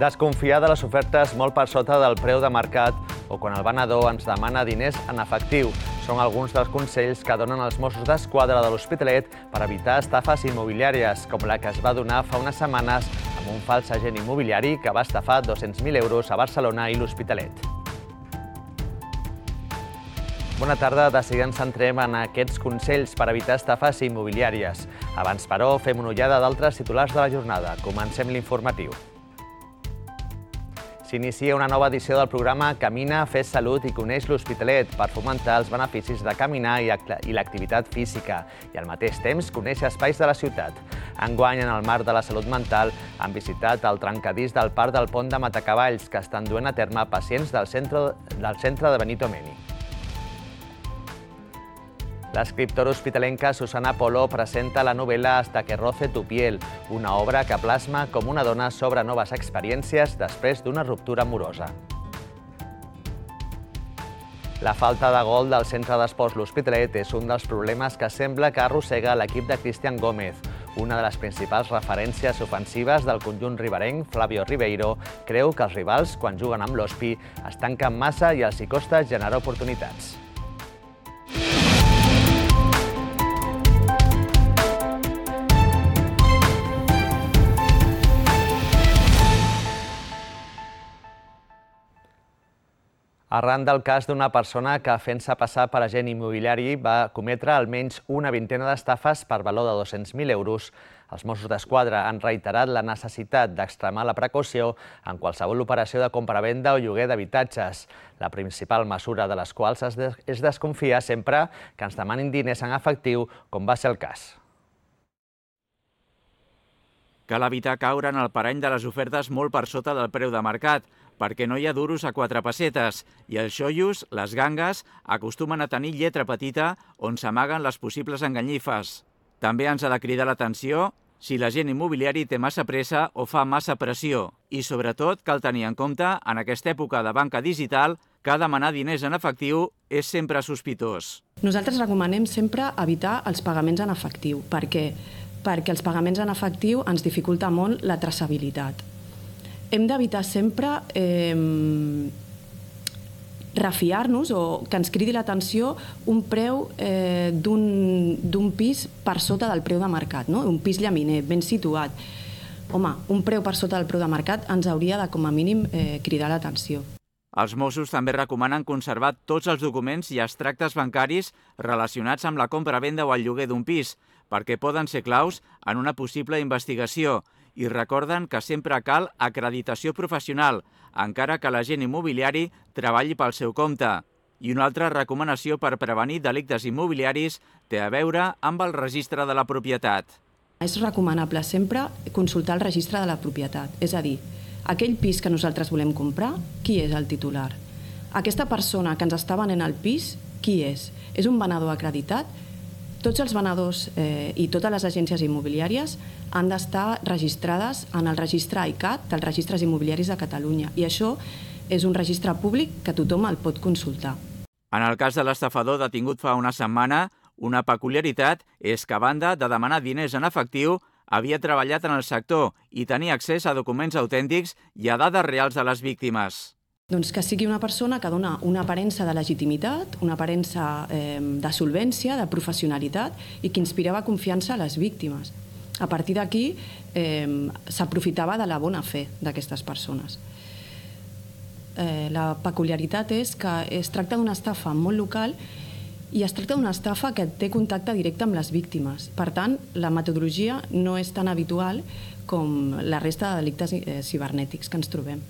Desconfiar de les ofertes molt per sota del preu de mercat o quan el venedor ens demana diners en efectiu són alguns dels consells que donen els Mossos d'Esquadra de l'Hospitalet per evitar estafes immobiliàries, com la que es va donar fa unes setmanes amb un fals agent immobiliari que va estafar 200.000 euros a Barcelona i l'Hospitalet. Bona tarda, de seguida ens centrem en aquests consells per evitar estafes immobiliàries. Abans, però, fem una ullada d'altres titulars de la jornada. Comencem l'informatiu. S'inicia una nova edició del programa Camina, fes salut i coneix l'Hospitalet per fomentar els beneficis de caminar i l'activitat física i al mateix temps conèixer espais de la ciutat. Enguany, en el marc de la salut mental, han visitat el trencadís del Parc del Pont de Matacavalls, que estan duent a terme pacients del centre de Benito Meni. L'escriptora hospitalenca Susana Polo presenta la novel·la Hasta que roce tu piel, una obra que plasma com una dona s'obre noves experiències després d'una ruptura amorosa. La falta de gol del centre d'esports l'Hospitalet és un dels problemes que sembla que arrossega l'equip de Cristian Gómez. Una de les principals referències ofensives del conjunt riberenc, Flavio Ribeiro, creu que els rivals, quan juguen amb l'Hospi, es tanquen massa i els hi costa generar oportunitats. Arran del cas d'una persona que, fent-se passar per agent immobiliari, va cometre almenys una vintena d'estafes per valor de 200.000 euros, els Mossos d'Esquadra han reiterat la necessitat d'extremar la precaució en qualsevol operació de compra-venda o lloguer d'habitatges, la principal mesura de les quals és desconfiar sempre que ens demanin diners en efectiu, com va ser el cas. Cal evitar caure en el parany de les ofertes molt per sota del preu de mercat, perquè no hi ha duros a 4 pessetes i els xoios, les gangues, acostumen a tenir lletra petita on s'amaguen les possibles enganyifes. També ens ha de cridar l'atenció si l'agent immobiliari té massa pressa o fa massa pressió. I sobretot cal tenir en compte, en aquesta època de banca digital, que demanar diners en efectiu és sempre sospitós. Nosaltres recomanem sempre evitar els pagaments en efectiu. Per què? Perquè els pagaments en efectiu ens dificulta molt la traçabilitat. Hem d'evitar sempre refiar-nos o que ens cridi l'atenció un preu d'un pis per sota del preu de mercat, un pis llaminer, ben situat. Home, un preu per sota del preu de mercat ens hauria de, com a mínim, cridar l'atenció. Els Mossos també recomanen conservar tots els documents i extractes bancaris relacionats amb la compra-venda o el lloguer d'un pis, perquè poden ser claus en una possible investigació, i recorden que sempre cal acreditació professional, encara que l'agent immobiliari treballi pel seu compte. I una altra recomanació per prevenir delictes immobiliaris té a veure amb el registre de la propietat. És recomanable sempre consultar el registre de la propietat, és a dir, aquell pis que nosaltres volem comprar, qui és el titular? Aquesta persona que ens està venent el pis, qui és? És un venedor acreditat? Tots els venedors i totes les agències immobiliàries han d'estar registrades en el registre ICAT dels registres immobiliaris de Catalunya i això és un registre públic que tothom el pot consultar. En el cas de l'estafador detingut fa una setmana, una peculiaritat és que a banda de demanar diners en efectiu, havia treballat en el sector i tenia accés a documents autèntics i a dades reals de les víctimes. Doncs que sigui una persona que dona una aparença de legitimitat, una aparença de solvència, de professionalitat i que inspirava confiança a les víctimes. A partir d'aquí s'aprofitava de la bona fe d'aquestes persones. La peculiaritat és que es tracta d'una estafa molt local i es tracta d'una estafa que té contacte directe amb les víctimes. Per tant, la metodologia no és tan habitual com la resta de delictes cibernètics que ens trobem.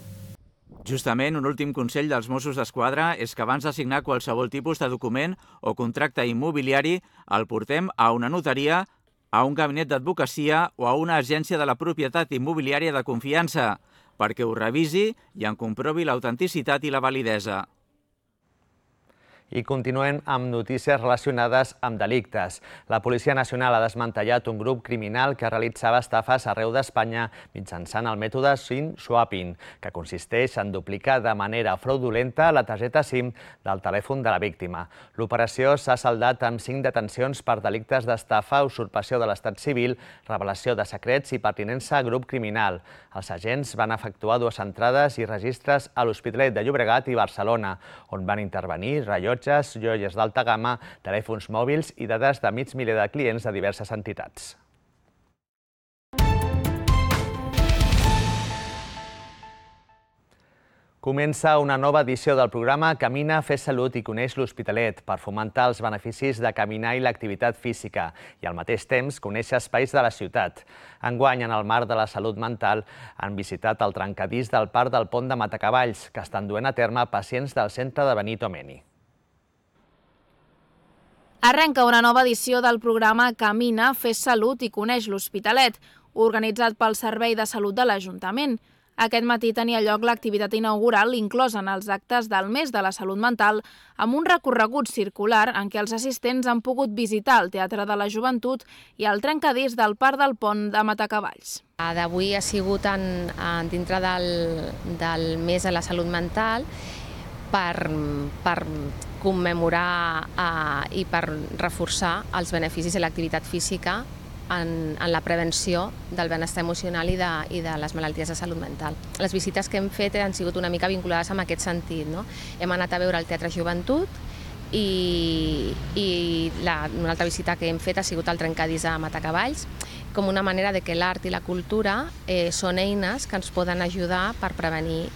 Justament, un últim consell dels Mossos d'Esquadra és que abans de signar qualsevol tipus de document o contracte immobiliari el portem a una notaria, a un gabinet d'advocacia o a una agència de la propietat immobiliària de confiança, perquè ho revisi i en comprovi l'autenticitat i la validesa. I continuem amb notícies relacionades amb delictes. La Policia Nacional ha desmantellat un grup criminal que realitzava estafes arreu d'Espanya mitjançant el mètode SIM swapping, que consisteix en duplicar de manera fraudulenta la targeta SIM del telèfon de la víctima. L'operació s'ha saldat amb 5 detencions per delictes d'estafa, usurpació de l'estat civil, revelació de secrets i pertinença a grup criminal. Els agents van efectuar 2 entrades i registres a l'Hospitalet de Llobregat i Barcelona, on van intervenir rellotges, joies d'alta gamma, telèfons mòbils i dades de mig miler de clients de diverses entitats. Comença una nova edició del programa Camina, fes salut i coneix l'Hospitalet per fomentar els beneficis de caminar i l'activitat física i al mateix temps conèixer espais de la ciutat. Enguany, en el marc de la salut mental, han visitat el trencadís del Parc del Pont de Matacavalls, que estan duent a terme pacients del centre de Benito Meni. Arrenca una nova edició del programa Camina, fes salut i coneix l'Hospitalet, organitzat pel Servei de Salut de l'Ajuntament. Aquest matí tenia lloc l'activitat inaugural inclosa en els actes del mes de la salut mental amb un recorregut circular en què els assistents han pogut visitar el Teatre de la Joventut i el trencadís del Parc del Pont de Matacavalls. D'avui ha sigut dintre del mes de la salut mental per commemorar i per reforçar els beneficis de l'activitat física en la prevenció del benestar emocional i de les malalties de salut mental. Les visites que hem fet han sigut una mica vinculades amb aquest sentit. Hem anat a veure el Teatre Joventut i una altra visita que hem fet ha sigut al trencadís de Matacavalls, com una manera de que l'art i la cultura són eines que ens poden ajudar per prevenir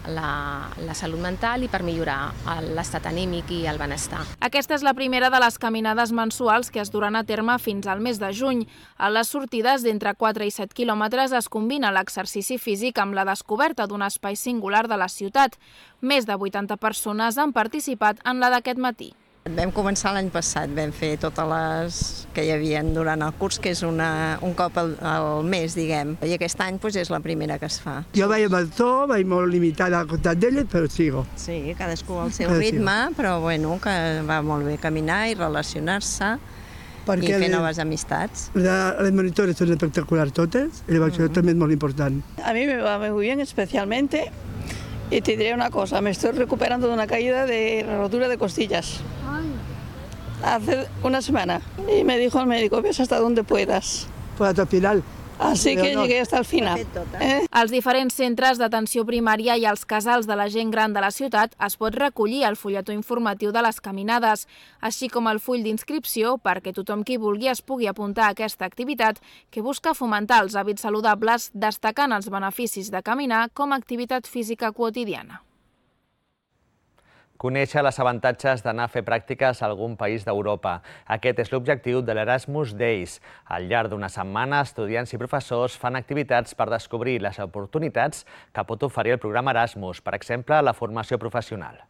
la salut mental i per millorar l'estat anímic i el benestar. Aquesta és la primera de les caminades mensuals que es duran a terme fins al mes de juny. A les sortides d'entre 4 i 7 quilòmetres es combina l'exercici físic amb la descoberta d'un espai singular de la ciutat. Més de 80 persones han participat en la d'aquest matí. Vam començar l'any passat, vam fer totes les que hi havia durant el curs, que és un cop al mes, diguem. I aquest any és la primera que es fa. Jo vaig amb el to, vaig molt limitada al costat d'elles, però sigo. Sí, cadascú al seu ritme, però bueno, que va molt bé caminar i relacionar-se i fer noves amistats. Les monitores són espectaculars totes, i això també és molt important. A mí me va muy bien especialmente. Y te diré una cosa, me estoy recuperando de una caída de rotura de costillas. Hace una semana. Y me dijo el médico, ves hasta donde puedas. Pues hasta el final. Así que llegué hasta el final. Als diferents centres d'atenció primària i als casals de la gent gran de la ciutat es pot recollir el fulletó informatiu de les caminades, així com el full d'inscripció perquè tothom qui vulgui es pugui apuntar a aquesta activitat que busca fomentar els hàbits saludables destacant els beneficis de caminar com a activitat física quotidiana. Conèixer els avantatges d'anar a fer pràctiques a algun país d'Europa. Aquest és l'objectiu de l'Erasmus Days. Al llarg d'una setmana, estudiants i professors fan activitats per descobrir les oportunitats que pot oferir el programa Erasmus, per exemple, la formació professional.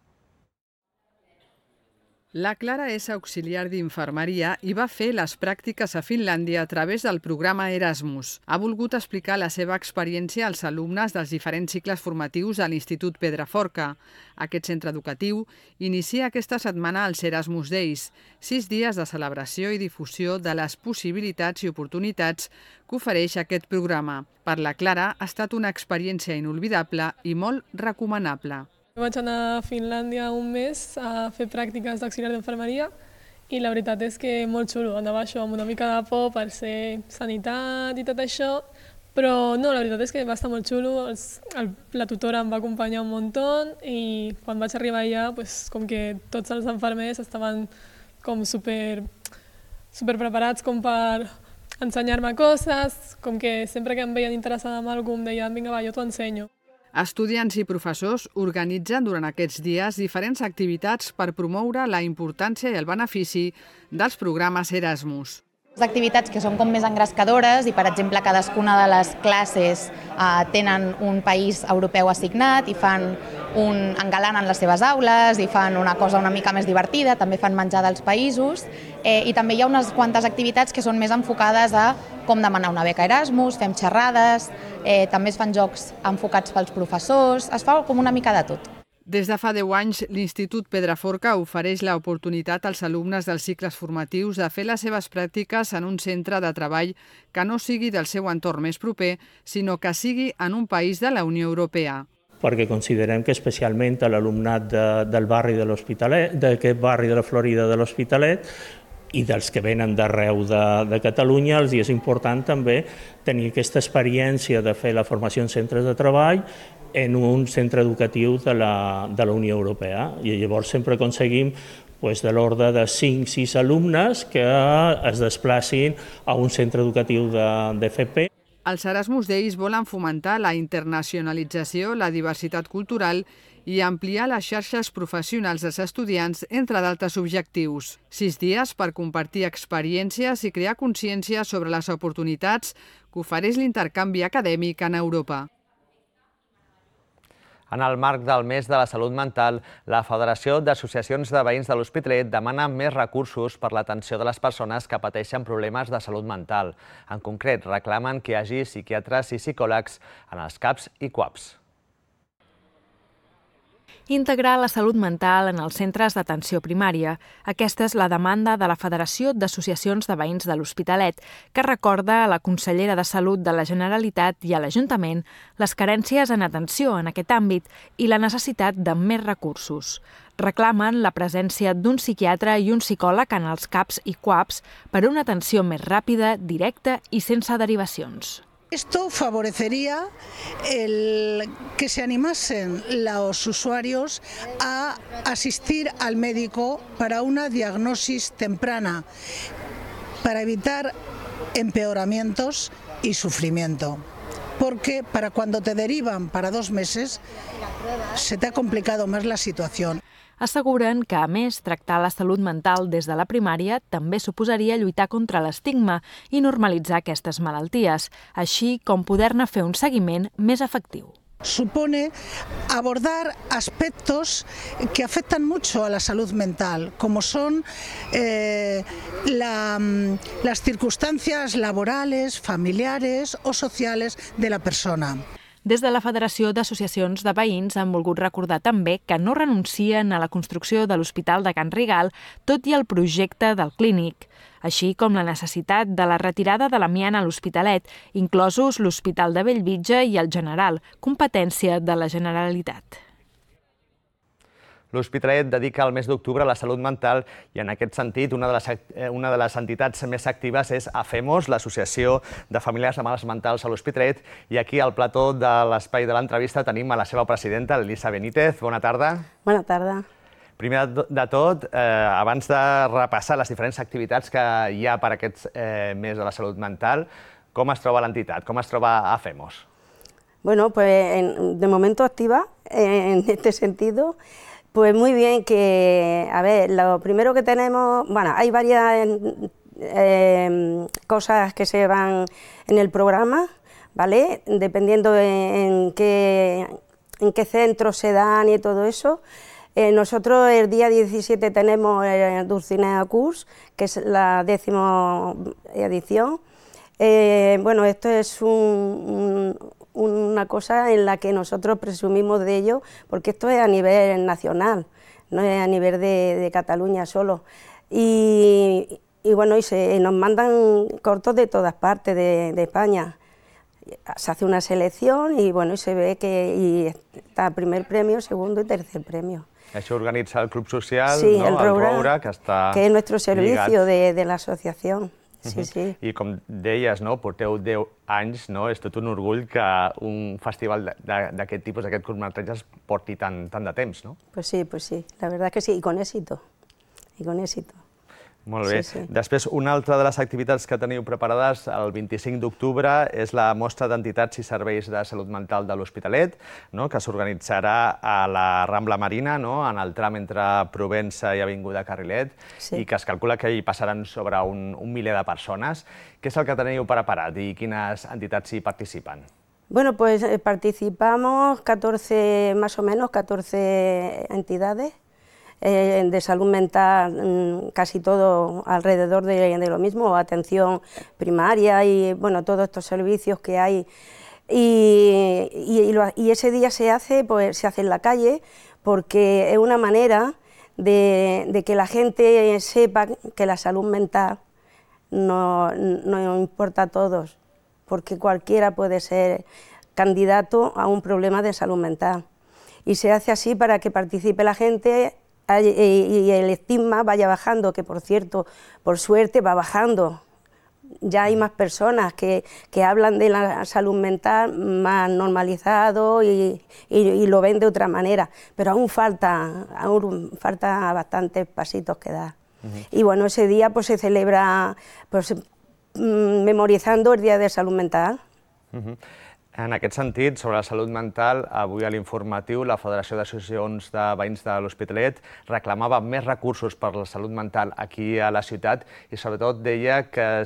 La Clara és auxiliar d'infermeria i va fer les pràctiques a Finlàndia a través del programa Erasmus. Ha volgut explicar la seva experiència als alumnes dels diferents cicles formatius a l'Institut Pedraforca. Aquest centre educatiu inicia aquesta setmana els Erasmus Days, 6 dies de celebració i difusió de les possibilitats i oportunitats que ofereix aquest programa. Per la Clara ha estat una experiència inolvidable i molt recomanable. Vaig anar a Finlàndia un mes a fer pràctiques d'auxiliar d'infermeria i la veritat és que molt xulo. Anava això amb una mica de por per ser sanitat i tot això, però no, la veritat és que va estar molt xulo. La tutora em va acompanyar un muntó i quan vaig arribar allà, com que tots els infermers estaven com super preparats com per ensenyar-me coses, com que sempre que em veien interessada en alguna cosa em deien vinga va, jo t'ho ensenyo. Estudiants i professors organitzen durant aquests dies diferents activitats per promoure la importància i el benefici dels programes Erasmus. Activitats que són com més engrescadores i, per exemple, cadascuna de les classes tenen un país europeu assignat i engalanen les seves aules i fan una cosa una mica més divertida, també fan menjar dels països i també hi ha unes quantes activitats que són més enfocades a com demanar una beca Erasmus, fem xerrades, també es fan jocs enfocats pels professors, es fa com una mica de tot. Des de fa 10 anys, l'Institut Pedraforca ofereix l'oportunitat als alumnes dels cicles formatius de fer les seves pràctiques en un centre de treball que no sigui del seu entorn més proper, sinó que sigui en un país de la Unió Europea. Perquè considerem que especialment a l'alumnat del barri de l'Hospitalet, d'aquest barri de la Florida de l'Hospitalet, i dels que venen d'arreu de Catalunya, els és important també tenir aquesta experiència de fer la formació en centres de treball en un centre educatiu de la Unió Europea. I llavors sempre aconseguim de l'ordre de 5-6 alumnes que es desplacin a un centre educatiu d'FP. Els Erasmus Days volen fomentar la internacionalització, la diversitat cultural i ampliar les xarxes professionals dels estudiants, entre d'altres objectius. 6 dies per compartir experiències i crear consciència sobre les oportunitats que ofereix l'intercanvi acadèmic en Europa. En el marc del mes de la salut mental, la Federació d'Associacions de Veïns de l'Hospitalet demana més recursos per l'atenció de les persones que pateixen problemes de salut mental. En concret, reclamen que hi hagi psiquiatres i psicòlegs en els CAPs i CUAPs. Integrar la salut mental en els centres d'atenció primària. Aquesta és la demanda de la Federació d'Associacions de Veïns de l'Hospitalet, que recorda a la consellera de Salut de la Generalitat i a l'Ajuntament les carències en atenció en aquest àmbit i la necessitat de més recursos. Reclamen la presència d'un psiquiatre i un psicòleg en els CAPs i CUAPs per a una atenció més ràpida, directa i sense derivacions. Esto favorecería que se animasen los usuarios a asistir al médico para una diagnosis temprana, para evitar empeoramientos y sufrimiento. Porque para cuando te derivan para 2 meses, se te ha complicado más la situación. Asseguren que, a més, tractar la salut mental des de la primària també suposaria lluitar contra l'estigma i normalitzar aquestes malalties, així com poder-ne fer un seguiment més efectiu. Supone abordar aspectos que afectan mucho a la salud mental, como son las circunstancias laborales, familiares o sociales de la persona. Des de la Federació d'Associacions de Veïns han volgut recordar també que no renuncien a la construcció de l'Hospital de Can Rigal, tot i el projecte del clínic, així com la necessitat de la retirada de l'amiant a l'Hospitalet, inclosos l'Hospital de Bellvitge i el General, competència de la Generalitat. L'Hospitalet dedica el mes d'octubre a la salut mental i, en aquest sentit, una de les entitats més actives és AFEMOS, l'Associació de Famílies de Mals Mentals a l'Hospitalet. I aquí, al plató de l'espai de l'entrevista, tenim a la seva presidenta, Elisa Benítez. Bona tarda. Bona tarda. Primer de tot, abans de repassar les diferents activitats que hi ha per aquest mes de la salut mental, com es troba l'entitat? Com es troba AFEMOS? Bueno, pues de momento activa en este sentido. Pues muy bien, que, a ver, lo primero que tenemos, bueno, hay varias cosas que se van en el programa, ¿vale? Dependiendo en qué centros se dan y todo eso. Nosotros el día 17 tenemos Dulcinea Curs, que es la 10ª edición. Bueno, esto es una cosa en la que nosotros presumimos de ello, porque esto es a nivel nacional, no es a nivel de Cataluña solo. Y bueno, nos mandan cortos de todas partes de España. Se hace una selección y bueno, se ve que está primer premio, segundo y tercer premio. Això organitza el Club Social, sí, no? El Roure, que està que es nuestro servicio lligat. de la asociación. Sí, sí. I com deies, no? Porteu 10 anys, no? És tot un orgull que un festival d'aquest tipus, d'aquest curtmetratges, porti tant de temps, no? Pues sí, la verdad que sí, y con éxito. Molt bé. Sí, sí. Després, una altra de les activitats que teniu preparades el 25 d'octubre és la mostra d'entitats i serveis de salut mental de l'Hospitalet, no? Que s'organitzarà a la Rambla Marina, no? En el tram entre Provença i Avinguda Carrilet, sí. I que es calcula que hi passaran sobre un miler de persones. Què és el que teniu preparat i quines entitats hi participen? Bueno, pues participamos 14, más o menos, 14 entidades. De salud mental, casi todo alrededor de lo mismo, atención primaria y bueno, todos estos servicios que hay. Y ese día se hace en la calle, porque es una manera de que la gente sepa que la salud mental no importa a todos, porque cualquiera puede ser candidato a un problema de salud mental. Y se hace así para que participe la gente y el estigma vaya bajando, que por cierto, por suerte va bajando. Ya hay más personas que hablan de la salud mental más normalizado y lo ven de otra manera, pero aún falta bastantes pasitos que dar. Y bueno, ese día pues se celebra pues, memorizando el Día de Salud Mental. En aquest sentit, sobre la salut mental, avui a l'informatiu la Federació d'Associacions de Veïns de l'Hospitalet reclamava més recursos per la salut mental aquí a la ciutat i sobretot deia que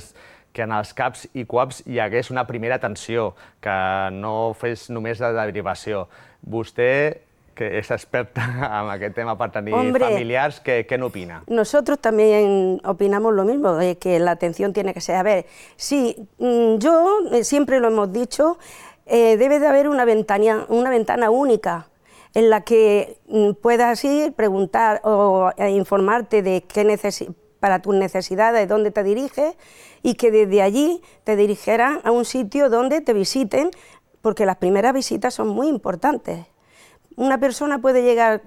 en els CAPs i CUAPs hi hagués una primera atenció, que no fes només de derivació. Vostè, que és experta en aquest tema per tenir familiars, ¿qué opina? Nosotros también opinamos lo mismo, de que la atención tiene que ser. A ver, sí, yo siempre lo hemos dicho, debe de haber una ventana única en la que puedas ir, preguntar o informarte de para tus necesidades, dónde te diriges, y que desde allí te dirigieran a un sitio donde te visiten, porque las primeras visitas son muy importantes. Una persona puede llegar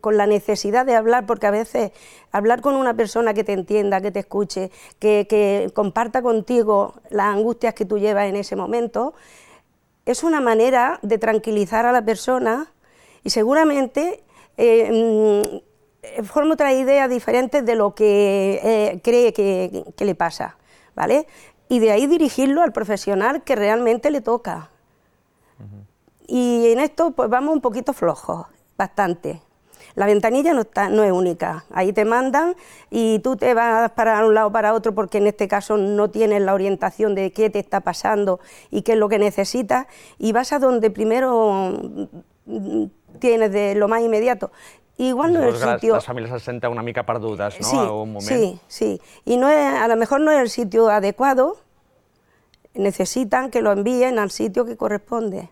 con la necesidad de hablar, porque a veces hablar con una persona que te entienda, que te escuche, que comparta contigo las angustias que tú llevas en ese momento, es una manera de tranquilizar a la persona y seguramente forma otras ideas diferentes de lo que cree que le pasa, ¿vale? Y de ahí dirigirlo al profesional que realmente le toca. Y en esto pues vamos un poquito flojos, bastante. La ventanilla no es única, ahí te mandan y tú te vas para un lado o para otro porque en este caso no tienes la orientación de qué te está pasando y qué es lo que necesitas y vas a donde primero tienes de lo más inmediato. Igual no es el sitio... Las familias se sienten una mica perdudes, ¿no? Sí, en algún momento. Sí. Y no es, a lo mejor no es el sitio adecuado, necesitan que lo envíen al sitio que corresponde,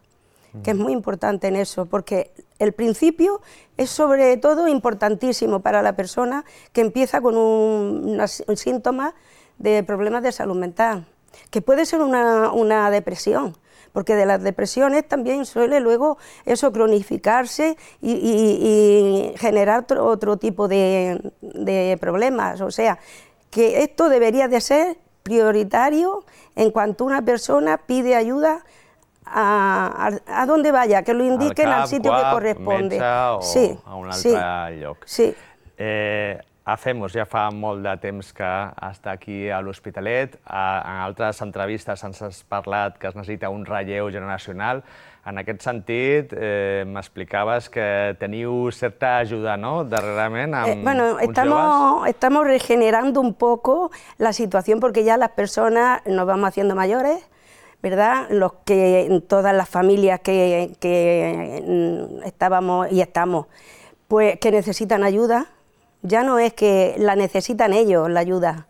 que es muy importante en eso, porque el principio es sobre todo importantísimo para la persona que empieza con un síntoma de problemas de salud mental, que puede ser una depresión, porque de las depresiones también suele luego eso cronificarse y generar otro tipo de problemas. O sea, que esto debería de ser prioritario en cuanto una persona pide ayuda a donde vaya, que lo indiquen al sitio que corresponde. Sí, a un altre lloc. Sí. Hacemos ja fa molt de temps que està aquí a l'Hospitalet. En altres entrevistes ens has parlat que es necessita un relleu generacional. En aquest sentit, m'explicaves que teniu certa ajuda, ¿no?, darrerament amb bueno, estamos regenerando un poco la situación porque ya las personas nos vamos haciendo mayores, ¿verdad? Todas las familias que estábamos y estamos, pues que necesitan ayuda. Ya no es que la necesitan ellos, la ayuda,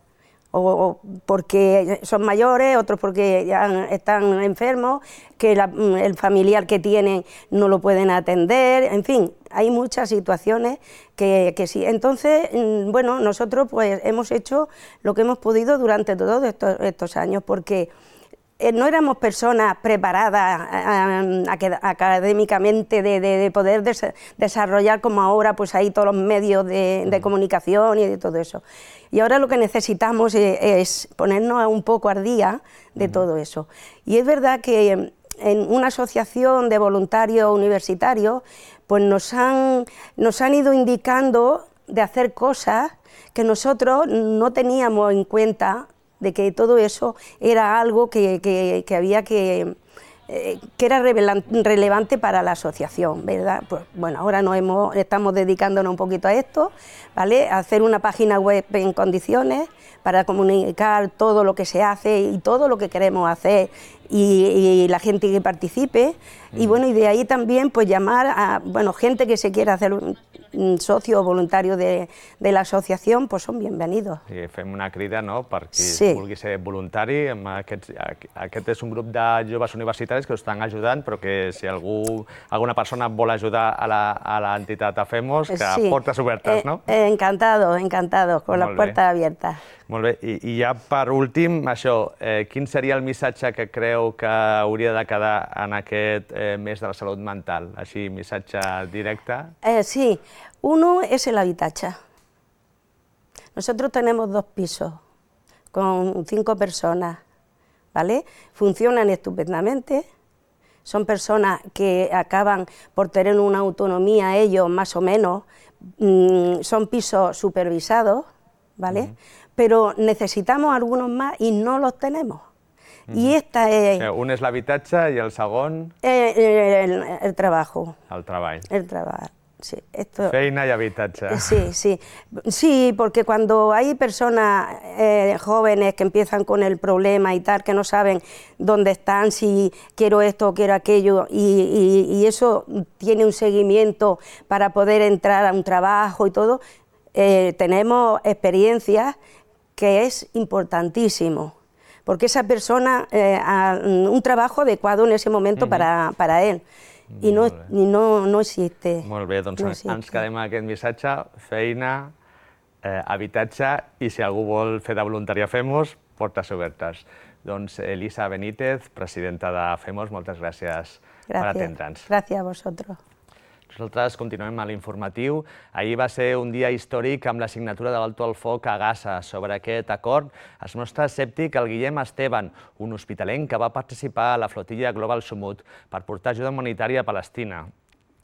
o porque son mayores, otros porque ya están enfermos, que el familiar que tienen no lo pueden atender, en fin, hay muchas situaciones que sí. Entonces, bueno, nosotros pues hemos hecho lo que hemos podido durante todos estos años, porque no éramos personas preparadas académicamente de poder desarrollar como ahora, pues hay todos los medios de comunicación y de todo eso. Y ahora lo que necesitamos es ponernos un poco al día de todo eso. Y es verdad que en una asociación de voluntarios universitarios, pues nos han ido indicando de hacer cosas que nosotros no teníamos en cuenta, de que todo eso era algo que había que era relevante para la asociación, ¿verdad? Pues bueno, ahora estamos dedicándonos un poquito a esto, ¿vale? A hacer una página web en condiciones para comunicar todo lo que se hace y todo lo que queremos hacer y la gente que participe. Y bueno, y de ahí también pues llamar a gente que se quiera hacer socio o voluntario de la asociación, pues son bienvenidos. Sí, fem una crida, no?, per qui vulgui ser voluntari. Aquest és un grup de joves universitaris que us estan ajudant, però que si alguna persona vol ajudar a l'entitat AFEMOS, que portes obertes, no? Encantado, con las puertas abiertas. Molt bé, i ja per últim, això, quin seria el missatge que creu que hauria de quedar en aquest mes de la salut mental? Així, missatge directe. Sí, uno es el habitatge. Nosotros tenemos 2 pisos con 5 personas, ¿vale? Funcionan estupendamente, son personas que acaban por tener una autonomía ellos más o menos, son pisos supervisados, ¿vale? Pero necesitamos algunos más y no los tenemos. I esta és... Un és l'habitatge i el segon... El trabajo. El treball. El treball, sí. Feina y habitatge. Sí, porque cuando hay personas jóvenes que empiezan con el problema y tal, que no saben dónde están, si quiero esto o quiero aquello, y eso tiene un seguimiento para poder entrar a un trabajo y todo, tenemos experiencias que es importantísimo, porque esa persona un trabajo adecuado en ese momento para él. I no existe. Molt bé, doncs ens quedem amb aquest missatge, feina, habitatge, i si algú vol fer de voluntari a FEMOS, portes obertes. Doncs Elisa Benítez, presidenta de FEMOS, moltes gràcies per atendre'ns. Gràcies a vosaltres. Nosaltres continuem a l'informatiu. Ahir va ser un dia històric amb la signatura de l'alto al foc a Gaza. Sobre aquest acord es mostra escèptic el Guillem Esteban, un hospitalenc que va participar a la flotilla Global Sumut per portar ajuda humanitària a Palestina.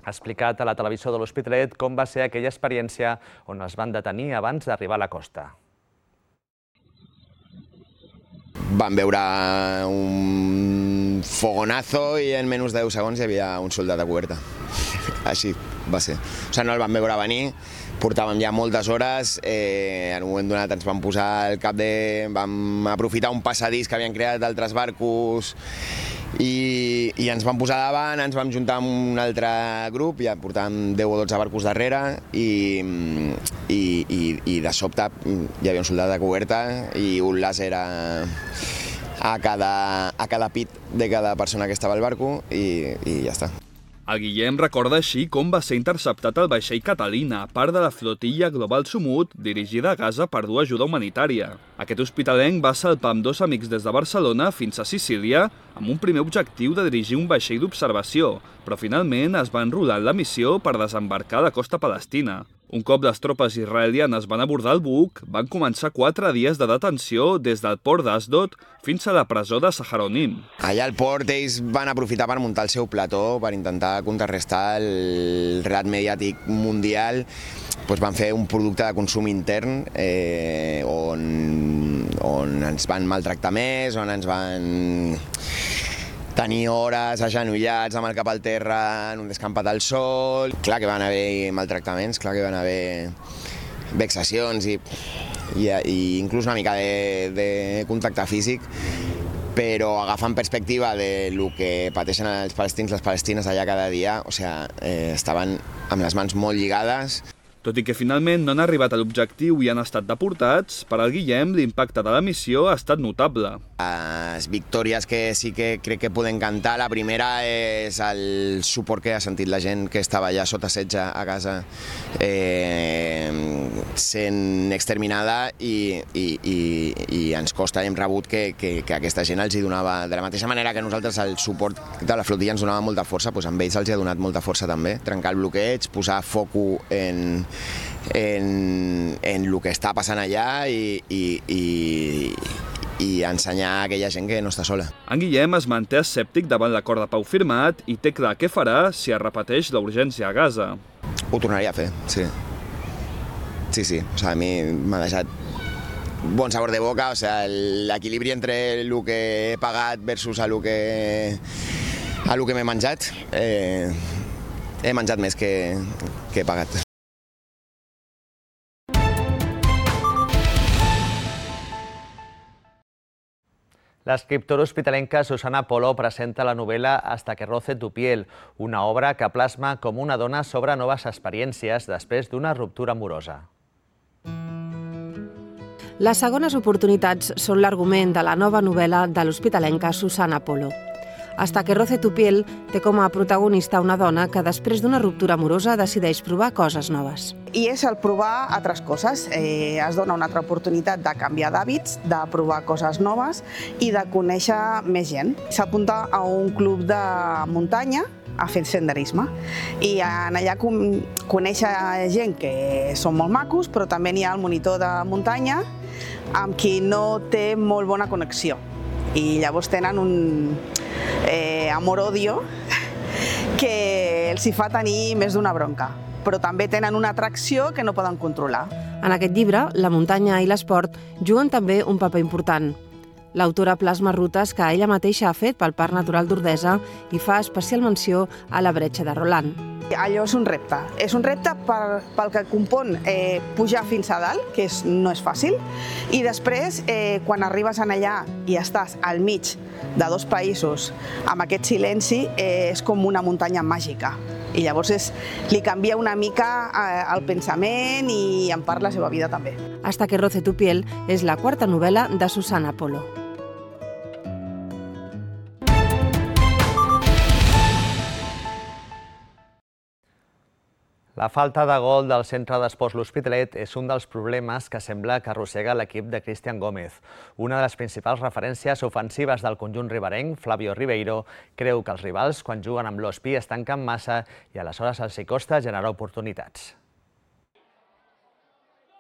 Ha explicat a la televisió de l'Hospitalet com va ser aquella experiència on es van detenir abans d'arribar a la costa. Van veure un fogonazo i en menys de 10 segons hi havia un soldat a coberta. Així va ser. O sigui, no el van veure venir, portàvem ja moltes hores, en un moment donat ens vam posar al cap de... vam aprofitar un passadís que havien creat altres barcos i ens vam posar davant, ens vam juntar amb un altre grup, ja portàvem 10 o 12 barcos darrere i de sobte hi havia un soldat a coberta i un làser a cada pit de cada persona que estava al barco i ja està. El Guillem recorda així com va ser interceptat el vaixell Catalina, part de la flotilla Global Sumut, dirigida a Gaza per dur ajuda humanitària. Aquest hospitalenc va salpar amb 2 amics des de Barcelona fins a Sicília amb un primer objectiu de dirigir un vaixell d'observació, però finalment es va enrolar en la missió per desembarcar a la costa palestina. Un cop les tropes israelianes van abordar el buc, van començar 4 dies de detenció des del port d'Asdod fins a la presó de Saharonim. Allà al port ells van aprofitar per muntar el seu plató per intentar contrarrestar el relat mediàtic mundial. Van fer un producte de consum intern on ens van maltractar més, on ens van tenir hores agenollats amb el cap al terra en un descampat al sol. Clar que van haver maltractaments, clar que van haver vexacions i inclús una mica de contacte físic, però agafant perspectiva de lo que pateixen els palestins, les palestines allà cada dia, o sigui, estaven amb les mans molt lligades. Tot i que finalment no han arribat a l'objectiu i han estat deportats, per al Guillem l'impacte de la missió ha estat notable. Les victòries que sí que crec que podem cantar, la primera és el suport que ha sentit la gent que estava allà sota setge a Gaza sent exterminada i ens costa, hem rebut que aquesta gent els hi donava, de la mateixa manera que nosaltres el suport de la flotilla ens donava molta força, doncs amb ells els hi ha donat molta força també, trencar el bloqueig, posar foco en el que està passant allà i ensenyar a aquella gent que no està sola. En Guillem es manté escèptic davant l'acord de pau firmat i té clar què farà si es repeteix la urgència a Gaza. Ho tornaria a fer, sí. Sí. O sigui, a mi m'ha deixat bon sabor de boca, o sigui, l'equilibri entre el que he pagat versus el que m'he menjat. He menjat més que he pagat. L'escriptora hospitalenca Susana Polo presenta la novel·la Hasta que roce tu piel, una obra que plasma com una dona sobre noves experiències després d'una ruptura amorosa. Les segones oportunitats són l'argument de la nova novel·la de l'hospitalenca Susana Polo. Hasta que roce tu piel té com a protagonista una dona que després d'una ruptura amorosa decideix provar coses noves. I és el provar altres coses. Es dona una altra oportunitat de canviar d'hàbits, de provar coses noves i de conèixer més gent. S'apunta a un club de muntanya a fer senderisme i allà conèixer gent que són molt macos, però també n'hi ha el monitor de muntanya amb qui no té molt bona connexió. I llavors tenen un amor-odio que els hi fa tenir més d'una bronca, però també tenen una atracció que no poden controlar. En aquest llibre, la muntanya i l'esport juguen també un paper important. L'autora plasma rutes que ella mateixa ha fet pel Parc Natural d'Ordesa i fa especial menció a la bretxa de Roland. Allò és un repte. És un repte pel que compon pujar fins a dalt, que no és fàcil, i després, quan arribes allà i estàs al mig de dos països amb aquest silenci, és com una muntanya màgica. I llavors li canvia una mica el pensament i en part la seva vida també. Hasta que roce tu piel és la quarta novel·la de Susana Polo. La falta de gol del centre d'esports L'Hospitalet és un dels problemes que sembla que arrossega l'equip de Cristian Gómez. Una de les principals referències ofensives del conjunt riberenc, Flavio Ribeiro, creu que els rivals, quan juguen amb l'Hospi, es tanquen massa i aleshores els hi costa generar oportunitats.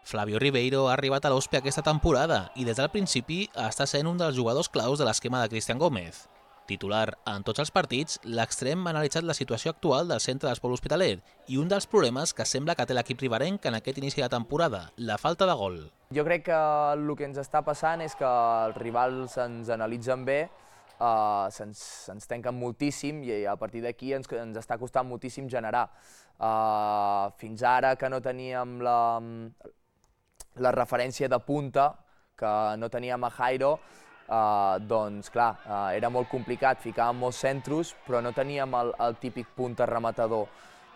Flavio Ribeiro ha arribat a l'Hospi aquesta temporada i des del principi està sent un dels jugadors claus de l'esquema de Cristian Gómez. Titular en tots els partits, l'extrem ha analitzat la situació actual del centre d'esport L'Hospitalet i un dels problemes que sembla que té l'equip riberenc en aquest inici de temporada, la falta de gol. Jo crec que el que ens està passant és que els rivals ens analitzen bé, se'ns tanquen moltíssim i a partir d'aquí ens està costant moltíssim generar. Fins ara que no teníem la referència de punta, que no teníem a Jairo, doncs clar, era molt complicat, ficàvem molts centros, però no teníem el típic punta rematador.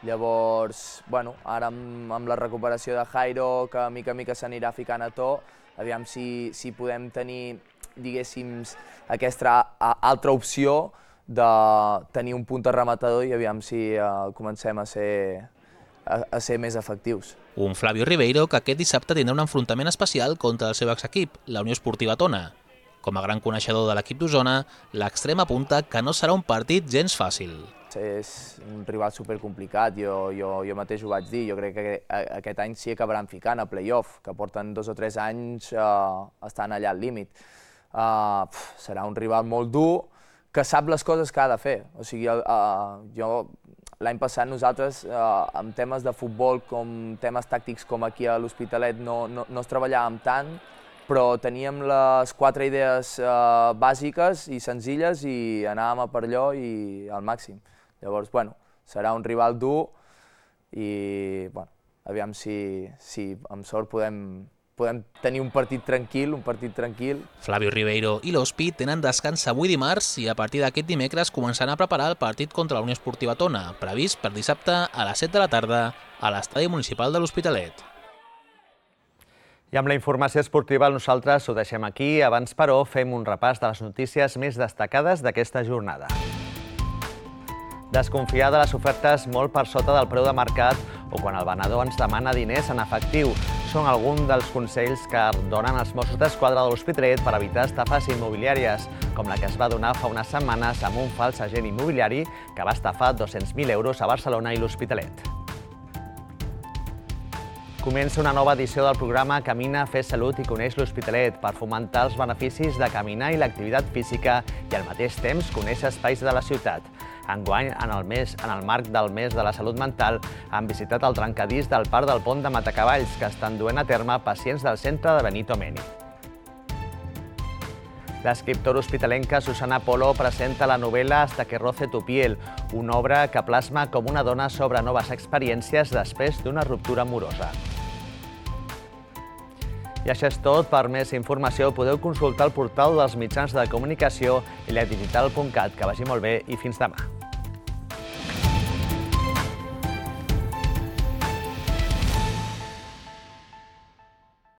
Llavors, bueno, ara amb la recuperació de Jairo, que mica en mica s'anirà ficant a to, aviam si podem tenir, diguéssim, aquesta altra opció de tenir un punta rematador i aviam si comencem a ser més efectius. Un Flavio Ribeiro que aquest dissabte tindrà un enfrontament especial contra el seu exequip, la Unió Esportiva Tona. Com a gran coneixedor de l'equip d'Osona, l'extrem apunta que no serà un partit gens fàcil. És un rival supercomplicat, jo mateix ho vaig dir, jo crec que aquest any s'hi acabaran ficant a play-off, que porten 2 o 3 anys estan allà al límit. Serà un rival molt dur, que sap les coses que ha de fer. O sigui, l'any passat nosaltres, amb temes de futbol, com temes tàctics com aquí a l'Hospitalet, no es treballàvem tant, però teníem les 4 idees bàsiques i senzilles i anàvem a per allò i al màxim. Llavors, bueno, serà un rival dur i, bueno, aviam si amb sort podem tenir un partit tranquil. Flavio Ribeiro i l'Hospi tenen descans avui dimarts i a partir d'aquest dimecres començaran a preparar el partit contra la Unió Esportiva Tona, previst per dissabte a les 7 de la tarda a l'Estadi Municipal de l'Hospitalet. I amb la informació esportiva nosaltres ho deixem aquí. Abans, però, fem un repàs de les notícies més destacades d'aquesta jornada. Desconfiar de les ofertes molt per sota del preu de mercat o quan el venedor ens demana diners en efectiu són alguns dels consells que donen els Mossos d'Esquadra de l'Hospitalet per evitar estafes immobiliàries, com la que es va donar fa unes setmanes amb un fals agent immobiliari que va estafar 200.000 euros a Barcelona i l'Hospitalet. Comença una nova edició del programa Camina, fes salut i coneix l'Hospitalet per fomentar els beneficis de caminar i l'activitat física i al mateix temps conèixer espais de la ciutat. Enguany, en el marc del mes de la salut mental, han visitat el trencadís del Parc del Pont de Matacavalls, que estan duent a terme pacients del centre de Benito Meni. L'escriptora hospitalenca Susana Polo presenta la novel·la Hasta que roce tu piel, una obra que plasma com una dona sobre noves experiències després d'una ruptura amorosa. I això és tot. Per més informació podeu consultar el portal dels mitjans de comunicació i ledigital.cat. Que vagi molt bé i fins demà.